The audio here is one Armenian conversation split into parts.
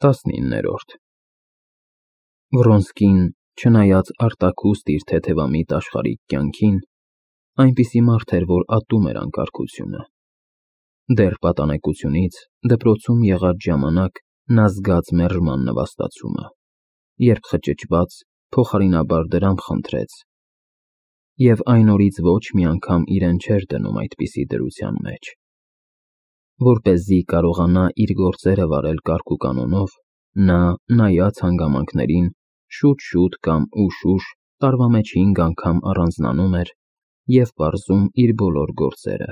19-րդ Վռոնսկին, չնայած արտաքուստ իր թեթևամիտ աշխարհիկ կյանքին, այնպիսի մարդ էր, որ ատում էր անկարգությունը։ Դեռ պատանեկությունից դպրոցում եղած ժամանակ նա զգաց մերժման նվաստացումը, երբ խճճված, փոխարինաբար դրամ խնդրեց, և այն օրից ոչ մի անգամ իրեն չէր դնում այդպիսի դրության մեջ։ Որպեսզի կարողանա իր գործերը վարել կարգուկանոնով, նա, նայած հանգամանքներին, շուտ-շուտ կամ ուշ-ուշ տարվա մեջ 5 անգամ առանձնանում էր և պարզում իր բոլոր գործերը։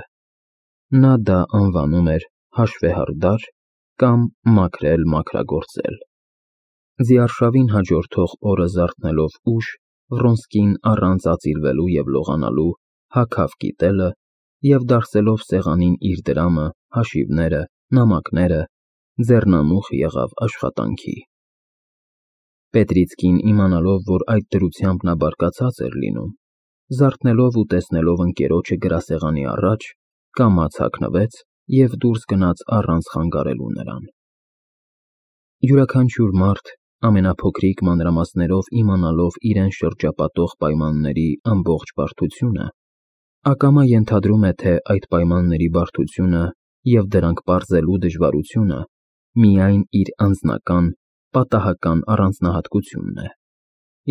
Նա դա անվանում էր հաշվեհարդար կամ մաքրել-մաքրագործել։ Ձիարշավին հաջորդող օրը զարթնելով ուշ, Վռոնսկին առանց ածիլվելու և լողանալու հագավ կիտելը և դարսելով սեղանին իր դրամը, հաշիվները, նամակները, ձեռնամուխ եղավ աշխատանքի։ Պետրիցկին, իմանալով, որ այդ դրությամբ նա բարկացած էր լինում, զարթնելով ու տեսնելով ընկերոջը գրասեղանի առաջ, կամաց հագնվեց և դուրս գնաց առանց խանգարելու նրան։ Յուրաքանչյուր մարդ, ամենափոքրիկ մանրամասներով իմանալով իրեն շրջապատող պայմանների ամբողջ բարդությունը, ակամա ենթադրում է, թե այդ պայմանների բարդությունը և դրանք պարզելու դժվարությունը միայն իր անձնական, պատահական առանձնահատկությունն է,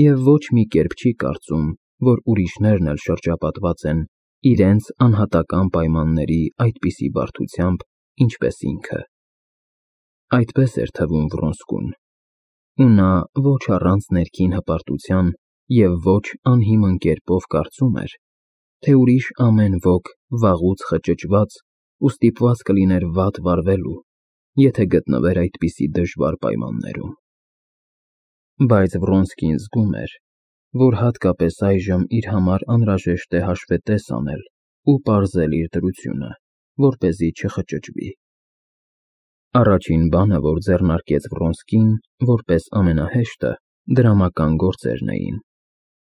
և ոչ մի կերպ չի կարծում, որ ուրիշներն էլ շրջապատված են իրենց անհատական պայմանների այդպիսի բարդությամբ, ինչպես ինքը։ Այդպես էր թվում Վռոնսկուն, ու նա ոչ առանց ներքին հպարտության և ոչ անհիմն կերպով կարծում էր, թե ուրիշ ամեն ոք վաղուց խճճված ու ստիպված կլիներ վատ վարվելու, եթե գտնվեր այդպիսի դժվար պայմաններում։ Բայց Վռոնսկին զգում էր, որ հատկապես այժմ իր համար անհրաժեշտ է հաշվետես անել ու պարզել իր դրությունը, որպեսզի չխճճվի։ Առաջին բանը, որ ձեռնարկեց Վռոնսկին, որպես ամենահեշտը, դրամական գործերն էին։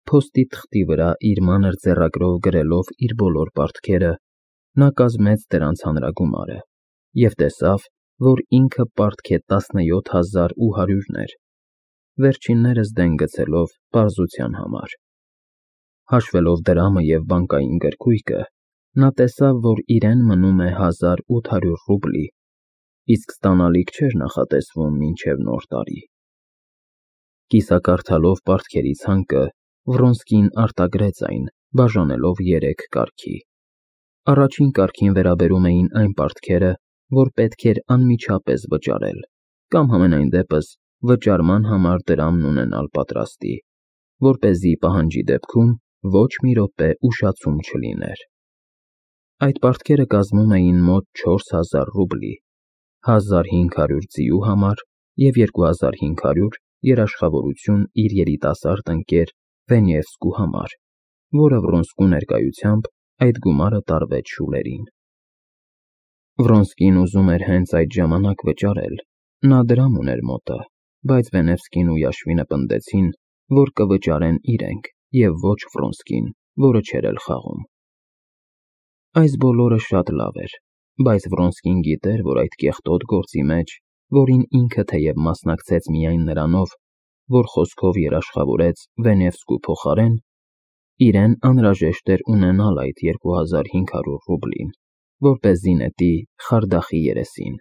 Փոստի թղթի վրա իր մանր ձեռագրով գրելով իր բոլոր պարտքերը, նա կազմեց դրանց հանրագումարը և տեսավ, որ ինքը պարտք է 17800-ներ, վերջիններս դեն գցելով պարզության համար։ Հաշվելով դրամը և բանկային գրքույկը, նա տեսավ, որ իրեն մնում է 1800 ռուբլի, իսկ ստանալիք չէր նախատեսվում մինչև Նոր տարի։ Կիսակարդալով պարտքերի ցանկը, Վռոնսկին արտագրեց այն, բաժանելով 3 կարգի։ Առաջին կարգին վերաբերում էին այն պարտքերը, որ պետք էր անմիջապես վճարել, կամ համենայն դեպս վճարման համար դրամն ունենալ պատրաստի, որպեսզի պահանջի դեպքում ոչ մի րոպե ուշացում չլիներ։ Այդ պարտքերը կազմում էին մոտ 4000 ռուբլի, 1500 ձիու համար և 2500 երաշխավորություն իր երիտասարդ ընկեր Վենևսկու համար, որը Վռոնսկու ներկայությամբ այդ գումարը տարվեց շուլերին։ Վռոնսկին ուզում էր հենց այդ ժամանակ վճարել, նա դրամ ուներ մոտը, բայց Վենևսկին ու Yashvin-ը պնդեցին, որ կվճարեն իրենք և ոչ Վռոնսկին, որը չէր էլ խաղում։ Այս բոլորը շատ լավ էր, բայց Վռոնսկին գիտեր, որ այդ կեղտոտ գործի մեջ, որին ինքը թեև մասնակցեց միայն նրանով, որ խոսքով երաշխավորեց Վենևսկու փոխարեն, իրեն անհրաժեշտ էր ունենալ այդ 2500 ռուբլին, որպեսզի նետի Խարդախի երեսին,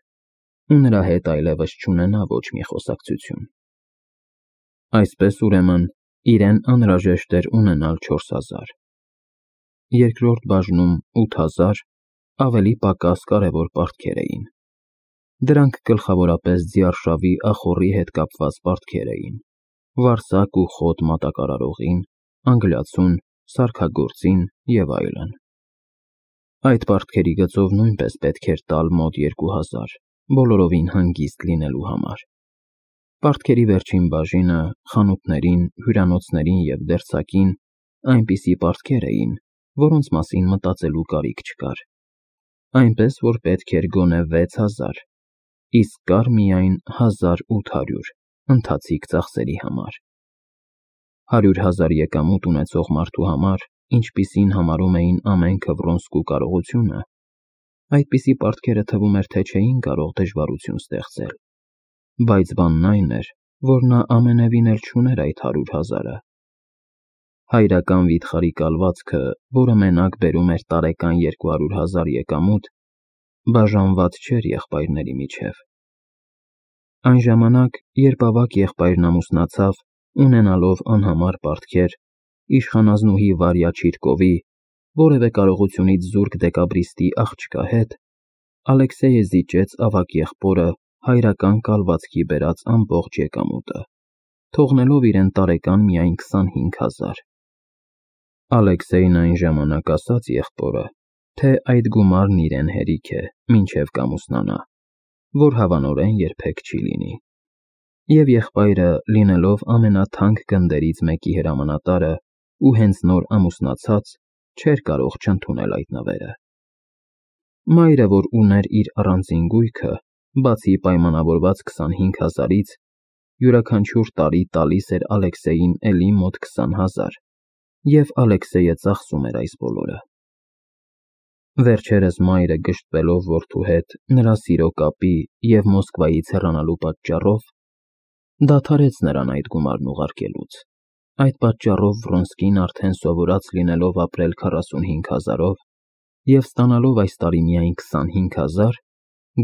ու նրա հետ այլևս չունենա ոչ մի խոսակցություն։ Այսպես, ուրեմն, իրեն անհրաժեշտ էր ունենալ 4000, երկրորդ բաժնում 8000 ավելի պակաս կարևոր պարտքեր էին։ Դրանք գլխավորապես ձիարշավի ախոռի հետ կապված պարտքեր էին, վարսակ ու խոտ մատակարարողին, անգլիացուն, սարքագործին և այլն։ Այդ պարտքերի գծով նույնպես պետք էր տալ մոտ 2000, բոլորովին հանգիստ լինելու համար։ Պարտքերի վերջին բաժինը խանութներին, հյուրանոցներին և դերձակին այնպիսի պարտքեր էին, որոնց մասին մտածելու կարիք չկար, այնպես որ պետք էր գոնե 6000, իսկ կար միայն 1800 ընթացիկ ծախսերի համար։ 100,000 եկամուտ ունեցող մարդու համար, ինչպիսին համարում էին ամենքը Վռոնսկու կարողությունը, այդպիսի պարտքերը թվում էր, թե չէին կարող դժվարություն ստեղծել։ բայց բանն այն էր, որ նա ամենևին էլ չուներ այդ 100,000-ը։ Հայրական վիթխարի կալվածքը, որը մենակ բերում էր տարեկան 200,000 եկամուտ, բաժանված չէր եղբայրների միջև։ Այն ժամանակ, երբ ավագ եղբայրն ամուսնացավ, ունենալով անհամար պարտքեր, իշխանազնուհի Վարյա Չիրկովի, որևէ կարողությունից զուրկ դեկաբրիստի աղջկա հետ, Ալեքսեյը զիջեց ավագ եղբորը հայրական կալվածքի բերած ամբողջ եկամուտը, թողնելով իրեն տարեկան միայն 25,000։ Ալեքսեյն այն ժամանակ ասաց եղբորը, թե այդ գումարն իրեն հերիք է, մինչև կամուսնանա, որ հավանորեն երբեք չի լինի։ Եվ եղբայրը, լինելով ամենաթանկ գնդերից մեկի հրամանատարը ու հենց նոր ամուսնացած, չէր կարող չընդունել այդ նվերը։ Մայրը, որ ուներ իր առանձին գույքը, բացի պայմանավորված 25,000-ից, յուրաքանչյուր տարի տալիս էր Ալեքսեյին էլի մոտ 20,000, և Ալեքսեյը ծախսում էր այս բոլորը։ Վերջերս մայրը գժտվելով որդու հետ նրա սիրո կապի և Մոսկվայից հեռանալու պատճառով, դադարեց նրան այդ գումարն ուղարկելուց։ Այդ պատճառով Վրոնսկին արդեն սովորած լինելով ապրել 45,000-ով և ստանալով այս տարի միայն 25,000,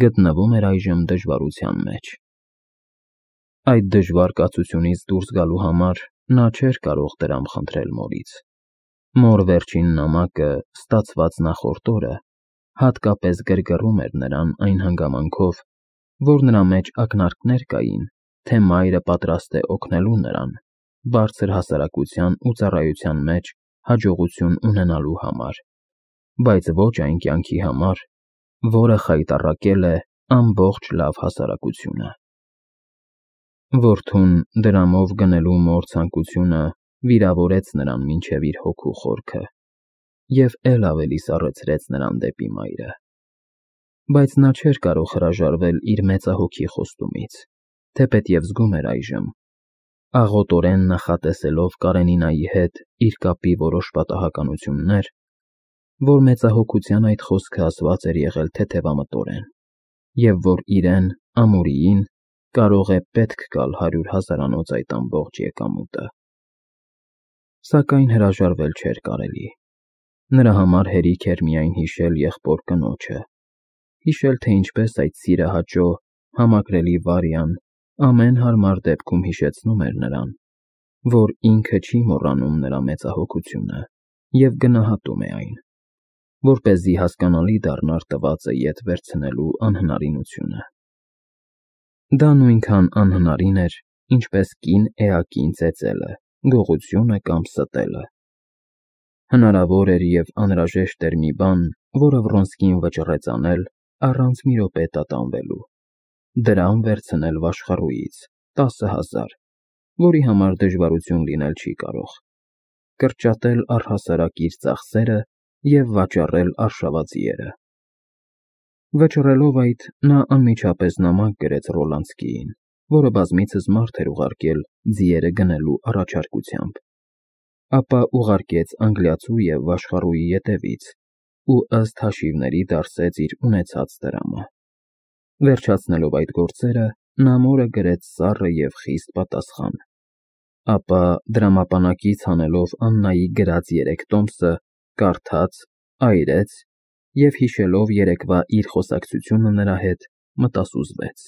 գտնվում էր այժմ դժվարության մեջ։ Այդ դժվար կացությունից դուրս գալու համար նա չէր կարող դրամ խնդրել մորից։ Մոր վերջին նամակը, ստացված նախորդ օրը, հատկապես գրգռում էր նրան այն հանգամանքով, որ նրա մեջ ակնարկներ կային, թե մայրը պատրաստ է օգնելու նրան բարձր հասարակության ու ծառայության մեջ հաջողություն ունենալու համար, բայց ոչ այն կյանքի համար, որը խայտառակել է ամբողջ լավ հասարակությունը։ Որդուն դրամով գնելու մոր ցանկությունը վիրավորեց նրան մինչև իր հոգու խորքը և էլ ավելի սառեցրեց նրան դեպի մայրը։ Բայց նա չէր կարող հրաժարվել իր մեծահոգի խոստումից, թեպետև զգում էր այժմ, աղոտորեն նախատեսելով Կարենինայի հետ իր կապի որոշ պատահականություններ, որ մեծահոգության այդ խոսքը ասված էր եղել թեթևամտորեն, և որ իրեն, ամուրիին, կարող է պետք գալ 100,000-անոց այդ ամբողջ եկամուտը։ Սակայն հրաժարվել չէր կարելի։ Նրա համար հերիք էր միայն հիշել եղբոր կնոջը, հիշել, թե ինչպես այդ սիրահաճո, համակրելի Վարյան ամեն հարմար դեպքում հիշեցնում էր նրան, որ ինքը չի մոռանում նրա մեծահոգությունը և գնահատում է այն, որպեսզի հասկանալի դառնար տվածը ետ վերցնելու անհնարինությունը։ Դա նույնքան անհնարին էր, ինչպես կին էակին ծեծելը, գողությունը կամ ստելը։ Հնարավոր էր և անհրաժեշտ էր մի բան, որը Վրոնսկին վճռեց անել առանց մի րոպե տատանվելու. դրամ վերցնել Վաշխառուից 10,000, որի համար դժվարություն լինել չի կարող, կրճատել առհասարակ իր ծախսերը և վաճառել արշավաձիերը։ Վճռելով այդ, նա անմիջապես նամակ գրեց Ռոլանսկիին, որը բազմիցս մարդ էր ուղարկել ձիերը գնելու առաջարկությամբ, ապա ուղարկեց անգլիացու և Վաշխառուի ետևից ու ըստ հաշիվների դարսեց իր ունեցած դրամը։ Վերջացնելով այդ գործերը, նա մորը գրեց սառը և խիստ պատասխան, ապա դրամապանակից հանելով Աննայի գրած 3 տոմսը, կարդաց, այրեց և հիշելով երեկվա իր խոսակցությունը նրա հետ, մտասուզվեց։